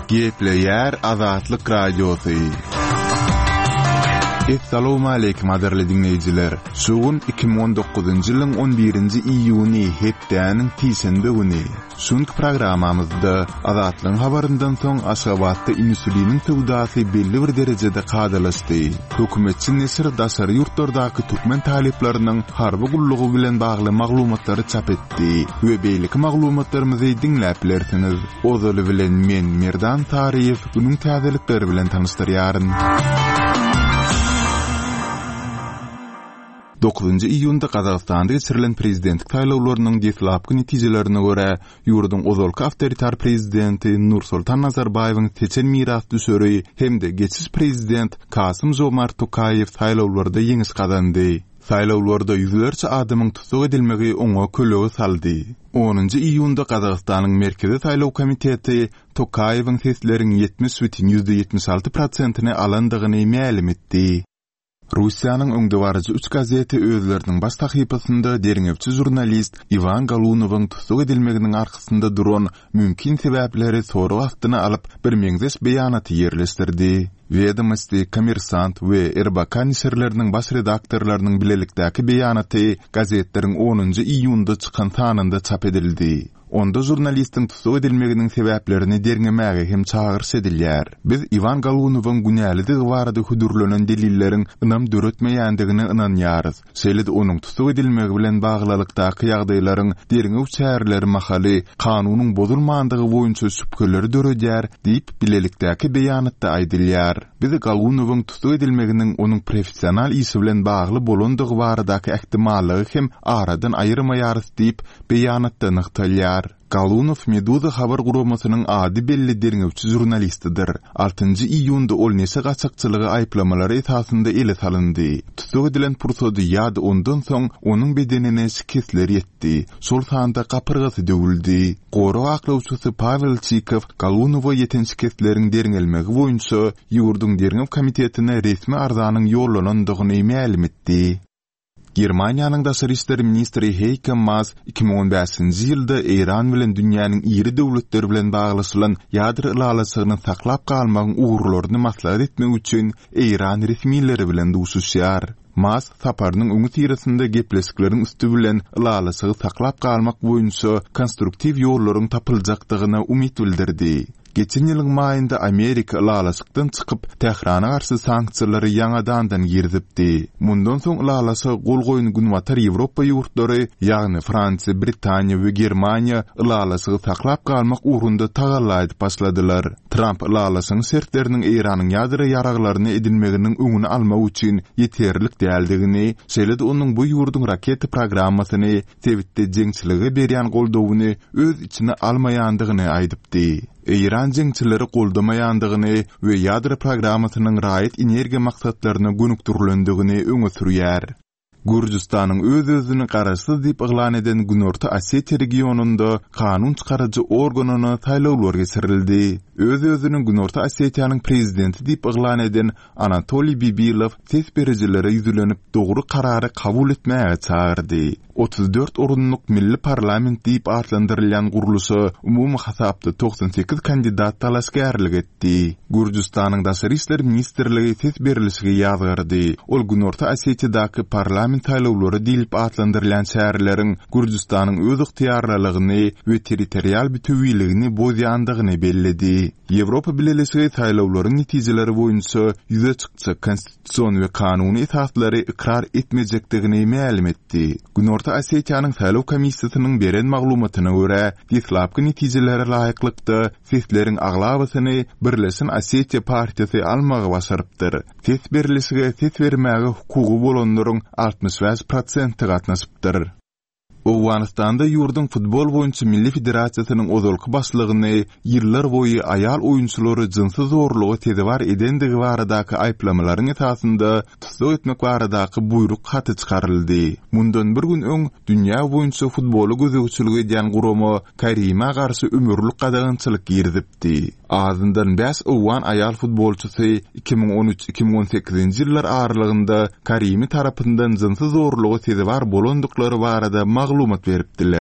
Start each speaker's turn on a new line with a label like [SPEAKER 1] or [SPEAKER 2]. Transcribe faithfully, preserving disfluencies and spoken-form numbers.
[SPEAKER 1] Gepleýär Azatlyk Radiosy. Essalawmaleýkim gadyrly diňleýjiler! Şu gün iki müň on dokuzynjy ýylyň on birinji iýuny hepdäniň sişenbe güni. Şu günki programmamyzda Azatlygyň habaryndan soň Aşgabatda insuliniň söwdasy belli bir derejede kadalaşdy. Hökümetçi neşir daşary ýurtlardaky türkmen talyplarynyň harby gullugy bilen bagly maglumatlary çap etdi we beýleki maglumatlarymyzy diňläp bilersiňiz. Ozaly bilen men Merdan Saryýew günüň täzelikleri bilen tanyşdyrýaryn. Dokuzynjy iýunda Gazagystanda geçirilen prezidentlik saýlawlarynyň deslapky netijelerine görä, ýurduň ozalky awtoritar prezidenti Nursultan Nazarbaýewiň seçen mirasdüşeri hem-de geçiş prezident Kasym-Žomart Tokaýew saýlawlarda ýeňiş gazandy. Saýlawlarda ýüzlerçe adamyň tussag edilmegi oňa kölege saldy. Onunjy iýunda Gazagystanyň Merkezi saýlaw komiteti Tokaýewiň sesleriň ýetmiş bütin ýüzde ýetmiş alty prosentini alandygyny mälim etdi. Russiýanyň öňdebaryjy üç gazeti özleriniň baş sahypasynda derňewçi žurnalist Iwan Galunowyň tussag edilmeginiň arkasynda duran mümkin sebäpleri sorag astyna alyp, birmeňzeş beýanaty ýerleşdirdi. Wedomosti, Kommersant we R B K neşirleriniň baş redaktorlarynyň bilelikdäki beýanaty gazetleriň onunjy iýunda çykan sanynda çap edildi. Onda žurnalistiň tussag edilmeginiň sebäplerini derňemäge hem çagyryş edilýär. Biz Iwan Galunowyň günälidigi barada hödürlenen delilleriň ynam döretmeýändigine ynanýarys. Şeýle-de onuň tussag edilmegi bilen baglylykdaky ýagdaýlaryň derňew çäreleri mahaly kanunyň bozulmandygy boýunça şübheleri döredýär diýip bilelikdäki beýanatda aýdylýar. Biz Galunowyň tussag edilmeginiň onuň professional işi bilen bagly bolandygy baradaky ähtimallygy hem aradan aýyrmaýarys diýip beýanatda nygtalýar. Galunow Meduza habar guramasynyň ady belli derňewçi žurnalistidir. Altynjy iýunda ol neşe gaçakçylygy aýyplamalary esasynda ele salyndy. Tussag edilen pursady ýa-da ondan soň onuň bedenine şikesler ýetdi. Şol sanda gapyrgasy döwüldi. Gorag aklawçysy Pavel Çikow Galunowa ýeten şikesleriň derňelmegi boýunça ýurduň derňew komitetine resmi arzanyň ýollanandygyny mälim etdi. Germaniýanyň daşary işler ministri Heike Maas iki müň on bäşinji ýylda Eýran bilen dünýäniň iri döwletleri bilen baglaşylan ýadro ylalaşygyny saklap galmagyň ugurlaryny maslahat etmek üçin Eýran resmileri bilen duşuşýar. Maas saparynyň öňi syrasynda gepleşikleriň üsti bilen ylalaşygy saklap galmak boýunça konstruktiw ýollaryň tapyljakdygyna umyt bildirdi. Geçen ýylyň maýynda Amerika ylalaşykdan çykyp, Tährana garşy sanksiýalary ýaňadandan girizipdi. Mundan soň ylalaşyga gol goýan Günbatar Ýewropa ýurtlary, ýagny Fransiýa, Britaniýa we Germaniýa ylalaşygy saklap galmak ugrunda tagalla edip başladylar. Trump ylalaşygyň şertleriniň Eýranyň ýadro ýaraglaryny edinmeginiň öňüni almak üçin ýeterlik däldigini, şeýle-de onuň bu ýurduň raketa programmasyny sebitde jeňçilige berýän goldawyny öz içine almaýandygyny aýdypdy. Eýran jeňçileri goldamaýandygyny we ýadro programmasynyň raýat energiýa maksatlaryna gönükdirilendigini öňe sürýär. Gürjüstanyň öz-özüni garaşsyz diýip yglan eden Günorta Osetiýa regionynda kanun çykaryjy organyna saýlawlar geçirildi. Öz-özüni Günorta Osetiýanyň prezidenti diýip yglan eden Anatoliý Bibilow ses berijilere ýüzlenip dogry karary kabul etmäge çagyrdy. Otuz dört orunlyk milli parlament diýip atlandyrylýan gurluşa umumy hasapda togsan sekiz kandidat dalaşgärlik etdi. Gürjüstanyň Daşary işler ministrligi ses berilişigi ýazgardy. Ol Günorta Osetiýadaky parlament saýlawlary diýlip atlandyrylýan çäreleriň Gürjüstanyň öz ygtyýarlylygyny we territorial bütewiligini bozýandygyny belledi. Ýewropa Bileleşigi saýlawlaryň netijeleri boýunça ýüze çykjak konstitusion we kanuny esaslary ykrar etmejekdigini mälim etdi. Günorta Osetiýanyň saýlaw komissiýasynyň beren maglumatyna görä, deslapky netijelere laýyklykda sesleriň aglabasyny Birleşen Osetiýa partiýasy almagy başarypdyr. Ses berilişige ses bermäge hukugy bolanlaryň altmyş bäş prosenti gatnaşypdyr. Owganystanda ýurduň futbol boýunça Milli Federasiýasynyň ozalky başlygyny ýyllar boýy aýal oýunçylary jynsy zorluga sezewar edendigi baradaky aýyplamalaryň esasynda tussag etmek baradaky buýruk haty çykaryldy. Mundan bir gün öň dünýä boýunça futbola gözegçilik edýän gurama Karima garşy ömürlik gadagançylyk girizipdi. Azyndan bäş owgan aýal futbolçysy iki müň on üç iki müň on sekizinji ýyllar aralygynda Karimi tarapyndan jynsy zorluga sezewar bolandyklary barada maglumat beripdiler.